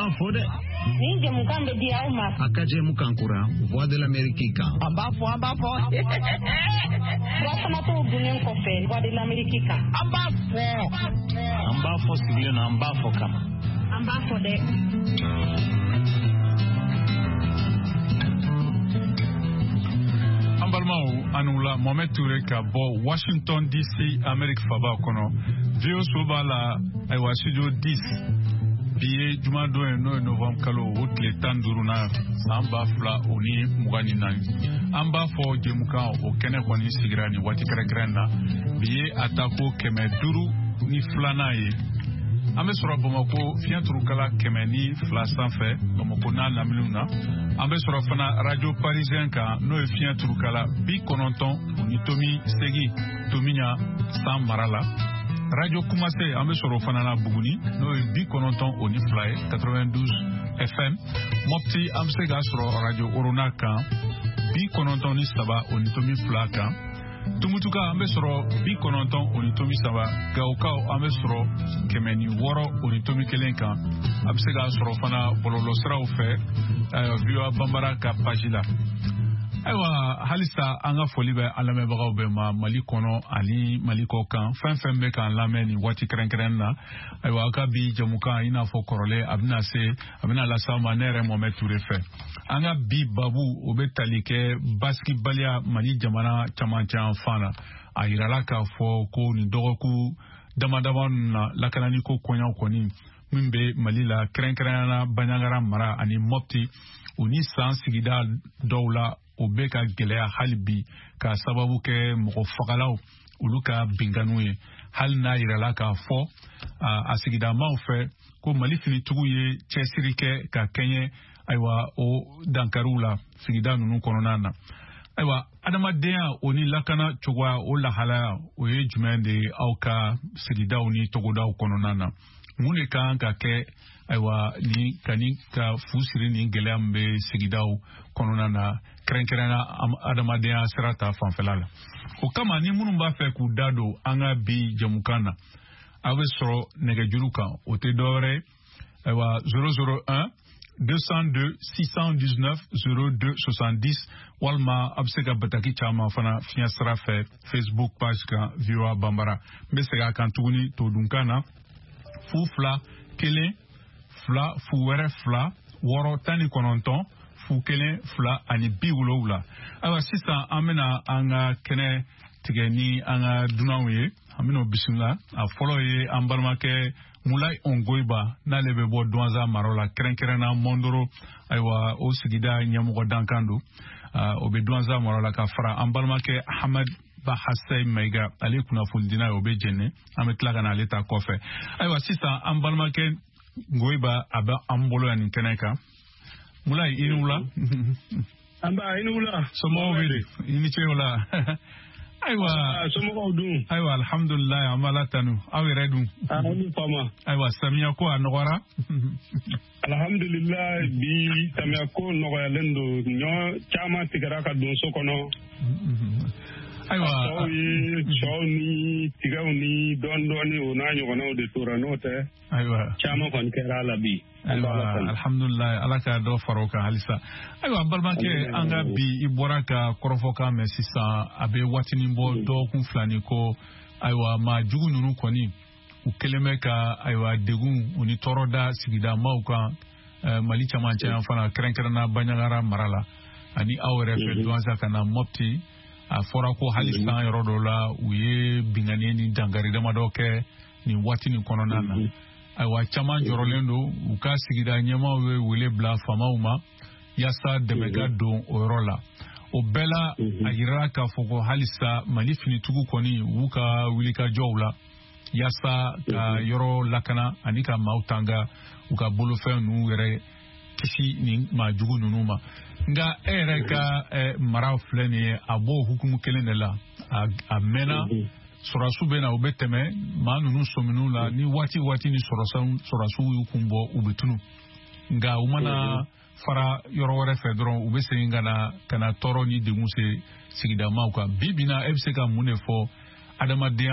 b'a fɔ dɛ. Nin jɛmukan bɛ di aw ma. A ka jɛmukan kura Voix de l'Amérique kan. An b'a fɔ, an b'a fɔ. Furafanatɔw dunnen kɔfɛ Voix de l'Amérique kan. An b'a fɔ. An b'a fɔ sigilen na, an b'a fɔ kama. An b'a fɔ dɛ. An balimaw, a ni wula. Mohamed Toure ka bɔ Washington DC, Amerique faba kɔnɔ, VOA so b'a la, ayiwa, studio 10. Bi ye jumadon ye, n'o ye novembre kalo o tile 15nan, san 2024. An b'a fɔ jɛmukan o kɛnɛ kɔni sigira nin waati kɛrɛnkɛrɛn na. Bi ye a tako 502nan ye. An bɛ sɔrɔ Bamako fiɲɛ turukala 102 sanfɛ, Bamako n'a laminiw na. An bɛ sɔrɔ fana Radio Parisien kan, n'o ye fiɲɛ turukala 90.8, Tomiɲa san mara la. Radio Kumase, an bɛ sɔrɔ o fana na Buguni, n'o ye 92 ye, 92 FM. Mɔpti, an bɛ se k'a sɔrɔ Radio Orona kan, 93.2 kan. Tumutuka, an bɛ sɔrɔ 90.3. Gawokaw, an bɛ sɔrɔ 106.1 kan. A bɛ se k'a sɔrɔ fana bɔlɔlɔsiraw fɛ, VOA Banbara ka page la. Ayiwa, halisa an ka foli bɛ an lamɛnbagaw bɛɛ ma, Mali kɔnɔ ani Mali kɔ kan, fɛn fɛn bɛ k'an lamɛn nin waati kɛrɛnkɛrɛn na. Ayiwa, aw ka bi jɛmukan, i n'a fɔ kɔrɔlen, a bɛna se a bɛna lase aw ma ne yɛrɛ Mohamed Toure fɛ. An ka bi babu, o bɛ tali kɛ basigibaliya Mali jamana camancɛ fan na. A yirala k'a fɔ ko nin dɔgɔkun dama dama ninnu na, lakananiko kɔɲɔ kɔni min bɛ Mali la, kɛrɛnkɛrɛnnenya la Banjagara mara ani Mopti, o ni san sigida dɔw la, o bɛ ka gɛlɛya hali bi, k'a sababu kɛ mɔgɔ fagalaw olu ka binkanniw ye. Hali n'a yirala k'a fɔ a sigidamaw fɛ ko Mali finitigiw ye cɛsiri kɛ ka kɛɲɛ, ayiwa, o dankariw la sigida ninnu kɔnɔna na. Ayiwa, adamadenya o ni lakana cogoya, o lahalaya o ye jumɛn de ye aw ka sigidaw ni togodaw kɔnɔna na? Mun de kan ka kɛ, ayiwa, ni ka ni ka fu siri nin gɛlɛya min bɛ sigidaw kɔnɔna na, kɛrɛnkɛrɛnnenya adamadenya sira ta fanfɛla la? O kama, ni minnu b'a fɛ k'u da don an ka bi jɛmukan na, aw bɛ sɔrɔ nɛgɛjuru kan, o tɛ dɔwɛrɛ ye, ayiwa, 001 202 619 02 70, walima a bɛ se ka bataki caman fana fiɲɛ sira fɛ Facebook page kan, VOA Banbara. N bɛ segin a kan tuguni todunkan na: 0 2 1 2 0 wɛrɛ 2 6 19 0 1 2 ani 70. Ayiwa, sisan an bɛna an ka kɛnɛ tigɛ ni an ka dunanw ye. An bɛna o bisimila. A fɔlɔ ye an balimakɛ Mulayi Ongoyiba, n'ale bɛ bɔ Duwanza mara la, kɛrɛnkɛrɛnna Mɔndoro, ayiwa, o sigida ɲɛmɔgɔ dankan don, o bɛ Duwanza mara la, ka fara an balimakɛ Hamad Bahasɛyi Mayiga, ale ye kunnafonidina ye, o bɛ Jɛnɛ. An bɛ tila ka na ale ta kɔfɛ. Ayiwa, sisan an balimakɛ Ngoyiba, a bɛ an bolo yan nin kɛnɛ kan. Mulayi, i ni wula. An ba, i ni wula. Somɔgɔw bɛ di? I ni ce o la. Ayiwa. Somɔgɔw dun? Ayiwa, alhamdulilayi, an b'Ala tanu. Aw yɛrɛ dun? Aw ni fama. Ayiwa, samiya ko a nɔgɔra? Alhamdulilayi, bi samiya ko nɔgɔyalen don. Ɲɔ caman tigɛra ka don so kɔnɔ. Ayiwa. Tɔw ye sɔw ni tigaw ni dɔɔni dɔɔni, o n'a ɲɔgɔnnaw de tora, n'o tɛ. Ayiwa. Caman kɔni kɛra a la bi. Ayiwa, alhamdulilayi, Ala ka dɔ fara o kan halisa. Ayiwa, balimakɛ, an ka bi, i bɔra ka kɔrɔfɔkan mɛn sisan, a bɛ waatinin bɔ, dɔgɔkun 2 ni kɔ. Ayiwa, maa jugu ninnu kɔni, u kɛlen bɛ ka, ayiwa, degun u ni tɔɔrɔ da sigida maaw kan Mali camancɛ yan fana, kɛrɛnkɛrɛnna Banjagara mara la ani aw yɛrɛ fɛ Duwanza ka na Mɔpti. A fɔra ko hali san yɔrɔ dɔw la, u ye binkanni ni dankari damadɔ kɛ nin waati nin kɔnɔna na. Ayiwa, caman jɔrɔlen don. U ka sigida ɲɛmaaw ye wele bila faamaw ma yaasa dɛmɛ ka don o yɔrɔ la. O bɛɛ la, a yirala k'a fɔ ko halisa Mali finitigiw kɔni, u b'u ka wulikajɔw la yaasa ka yɔrɔ lakana ani ka maaw tanga, u ka bolofɛn ninnu yɛrɛ kisi nin maa jugu ninnu ma. Nka e yɛrɛ ka mara filɛ nin ye, a b'o hukumu kelen de la. A mɛnna, sɔrɔsiw bɛ na, u bɛ tɛmɛ maa ninnu sɔminiw la ni waati waati ni sɔrɔsiw y'u kun bɔ, u bɛ tunu. Nka u mana fara yɔrɔ wɛrɛ fɛ dɔrɔn, u bɛ segin ka na tɔɔrɔ ni degun se sigidamaw kan. Bi bi na, e bɛ se ka mun de fɔ adamadenya